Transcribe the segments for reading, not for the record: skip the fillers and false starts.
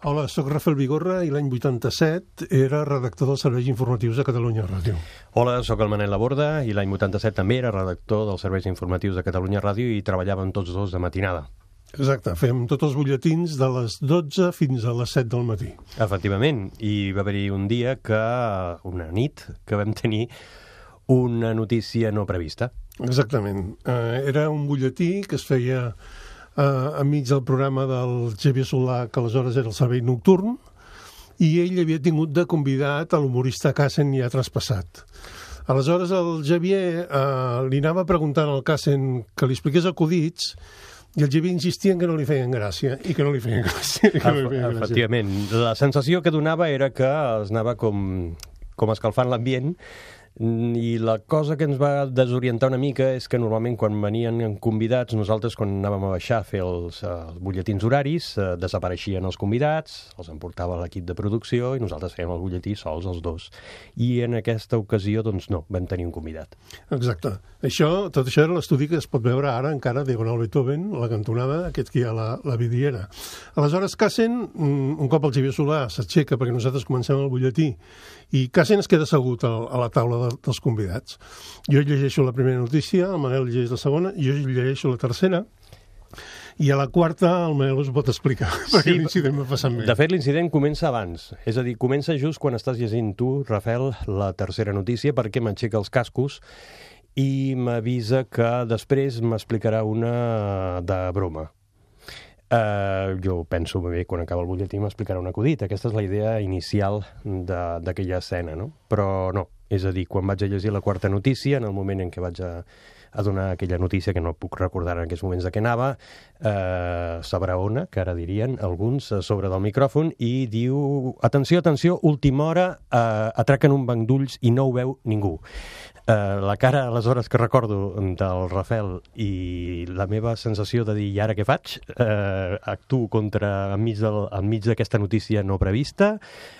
Hola, sóc Rafael Vigorra i l'any 87 era redactor dels serveis informatius de Catalunya Ràdio. Hola, sóc el Manel Laborda i l'any 87 també era redactor dels serveis informatius de Catalunya Ràdio i treballàvem tots dos de matinada. Exacte, fem tots els butlletins de les 12 fins a les 7 del matí. Efectivament, i va haver-hi un dia una nit, que vam tenir una notícia no prevista. Exactament. Era un butlletí que es feia enmig del programa del Xavier Solà, que aleshores era el servei nocturn, i ell havia tingut de convidat a l'humorista Cassen ja traspassat. Aleshores el Xavier li anava preguntant al Cassen que li expliqués acudits, i el Xavier insistia en que no li feien gràcia, i que no li feien gràcia. Efectivament, la sensació que donava era que es anava com escalfant l'ambient, i la cosa que ens va desorientar una mica és que normalment quan venien convidats, nosaltres quan anàvem a baixar a fer els butlletins horaris, desapareixien els convidats, els emportava l'equip de producció i nosaltres fèiem el butlletí sols, els dos. I en aquesta ocasió, doncs no, vam tenir un convidat. Exacte. Tot això era l'estudi que es pot veure ara encara, Diagonal Beethoven, la cantonada, aquest que hi ha la vidriera. Aleshores, Cassen, un cop el Xavier Solà s'aixeca perquè nosaltres comencem el butlletí, i Cassen es queda assegut a la taula dels convidats. Jo llegeixo la primera notícia, el Manel llegeix la segona, jo llegeixo la tercera, i a la quarta el Manel us pot explicar, perquè l'incident va passar bé. De fet, l'incident comença abans, és a dir, comença just quan estàs llegint tu, Rafael, la tercera notícia, perquè m'aixeca els cascos i m'avisa que després m'explicarà una de broma. Jo penso, bé, quan acaba el butlletí m'explicarà un acudit. Aquesta és la idea inicial d'aquella escena, no? Però no, és a dir, quan vaig a llegir la quarta notícia, en el moment en què vaig a donar aquella notícia, que no puc recordar en aquests moments de què anava, s'abraona, que ara dirien alguns, sobre del micròfon, i diu, atenció, atenció, última hora, atraquen un banc d'ulls i no ho veu ningú. La cara, aleshores, que recordo del Rafael i la meva sensació de dir, i ara què faig? Actuo enmig d'aquesta notícia no prevista,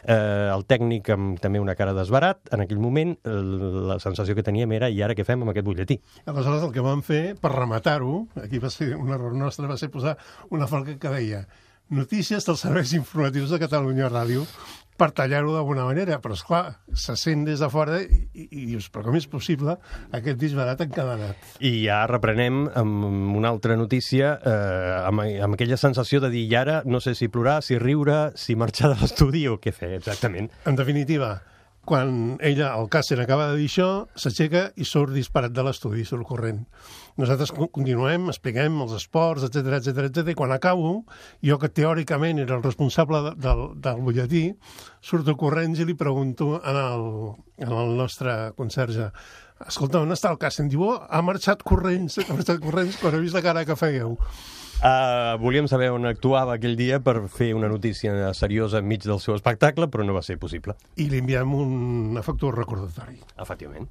el tècnic amb també una cara d'esbarat, en aquell moment la sensació que teníem era, i ara què fem amb aquest butlletí? Aleshores el que vam fer, per rematar-ho, aquí va ser un error nostre, va ser posar una falca que deia notícies dels serveis informatius de Catalunya Ràdio, per tallar-ho d'alguna manera, però esclar, se sent des de fora i dius, però com és possible aquest disbarat encadenat? I ja reprenem amb una altra notícia, amb aquella sensació de dir, i ara no sé si plorar, si riure, si marxar de l'estudi o què fer, exactament. En definitiva, quan ella, el Cassen, acaba de dir això, s'aixeca i surt disparat de l'estudi, surt corrent. Nosaltres continuem, expliquem els esports, etc. I quan acabo, jo que teòricament era el responsable del butlletí, surto corrents i li pregunto al nostre conserge, escolta, on està el Cassen? Diu, ha marxat corrents quan he vist la cara que fèieu. Volíem saber on actuava aquell dia per fer una notícia seriosa enmig del seu espectacle, però no va ser possible. I li enviem un afectuós recordatori. Efectivament.